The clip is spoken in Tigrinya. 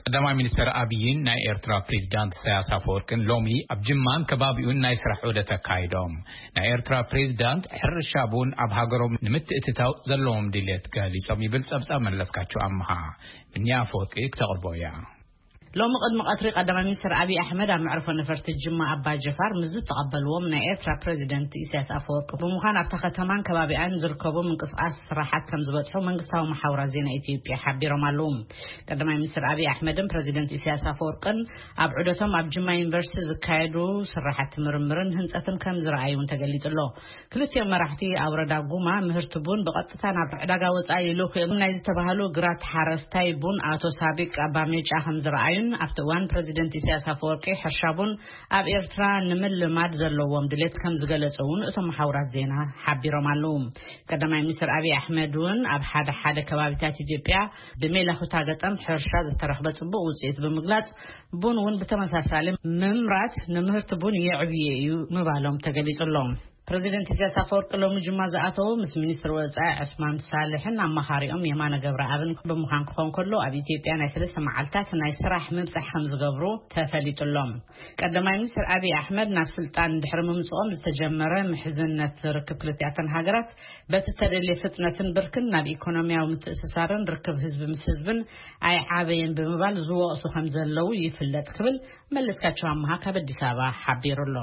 ቀዳማይ ሚኒስትር ኣብይን ናይ ኤርትራ ፕሬዚዳንት ኢሳያስ ኣፈወርቅን ሎሚ ኣብ ጅማን ከባቢኡን ናይ ስራሕ ዑደት ኣካይዶም። ናይ ኤርትራ ፕሬዚዳንት ሕርሻ ቡን ኣብ ሃገሮም ንምትእትታው ዘለዎም ድሌት ገሊጾም ይብል ጸብጻብ መለስካቸው ኣምሃ። ብንያ ኣፈወርቂ ክተቕርቦ እያ። ሎሚ ቅድሚ ቀትሪ ቀዳማይ ሚኒስትር ኣብይ ኣሕመድ ኣብ መዕርፎ ነፈርቲ ጅማ ኣባ ጀፋር ምስ ዝተቐበልዎም ናይ ኤርትራ ፕሬዚደንት ኢሳያስ ኣፈወርቂ ብምዃን ኣብታ ከተማን ከባቢኣን ዝርከቡ ምንቅስቃስ ስራሓት ከም ዝበጽሑ መንግስታዊ መሓውራት ዜና ኢትዮጵያ ሓቢሮም ኣለዉ። ቀዳማይ ሚኒስትር ኣብይ ኣሕመድን ፕሬዚደንት ኢሳያስ ኣፈወርቅን ኣብ ዑደቶም ኣብ ጅማ ዩኒቨርሲቲ ዝካየዱ ስራሓት ምርምርን ህንጸትን ከም ዝረኣዩ እውን ተገሊጹ ኣሎ። ክልቲኦም መራሕቲ ኣብ ወረዳ ጉማ ምህርቲ ቡን ብቐጥታ ናብ ዕዳጋ ወጻኢ ይልእኹ እዮም ናይ ዝተባህሉ ግራት ሓረስታይ ቡን ኣቶ ሳቢቅ ኣባ ሜጫ ከም ዝረኣዩን ኣብቲ እዋን ፕሬዚደንት ኢሳያስ ኣፈወርቂ ሕርሻ ቡን ኣብ ኤርትራ ንምልማድ ዘለዎም ድሌት ከም ዝገለጹ እውን እቶም መሓውራት ዜና ሓቢሮም ኣለዉ። ቀዳማይ ሚኒስትር ኣብይ ኣሕመድ እውን ኣብ ሓደ ሓደ ከባቢታት ኢትዮጵያ ብሜላኹታ ገጠም ሕርሻ ዝተረኽበ ጽቡቕ ውጽኢት ብምግላጽ ቡን እውን ብተመሳሳሊ ምምራት ንምህርቲ ቡን የዕብየ እዩ ምባሎም ተገሊጹ ኣሎ። ፕሬዚደንት ኢሳያስ ኣፈወርቂ ሎሚ ጅማ ዝኣተዉ ምስ ሚኒስትር ወጻኢ ዑስማን ሳልሕን ኣማኻሪኦም የማነ ገብረኣብን ብምዃን ክኾን ከሎ ኣብ ኢትዮጵያ ናይ ሰለስተ መዓልታት ናይ ስራሕ ምብጻሕ ከም ዝገብሩ ተፈሊጡ ኣሎ። ቀዳማይ ሚኒስትር ኣብይ ኣሕመድ ናብ ስልጣን ድሕሪ ምምጽኦም ዝተጀመረ ምሕዝነት ርክብ ክልቲኣተን ሃገራት በቲ ዝተደልየ ፍጥነትን ብርክን ናብ ኢኮኖሚያዊ ምትእስሳርን ርክብ ህዝቢ ምስ ህዝብን ኣይዓበየን ብምባል ዝወቕሱ ከም ዘለዉ ይፍለጥ ክብል መለስካቸው ኣምሃ ካብ ኣዲስ ኣበባ ሓቢሩ ኣሎ።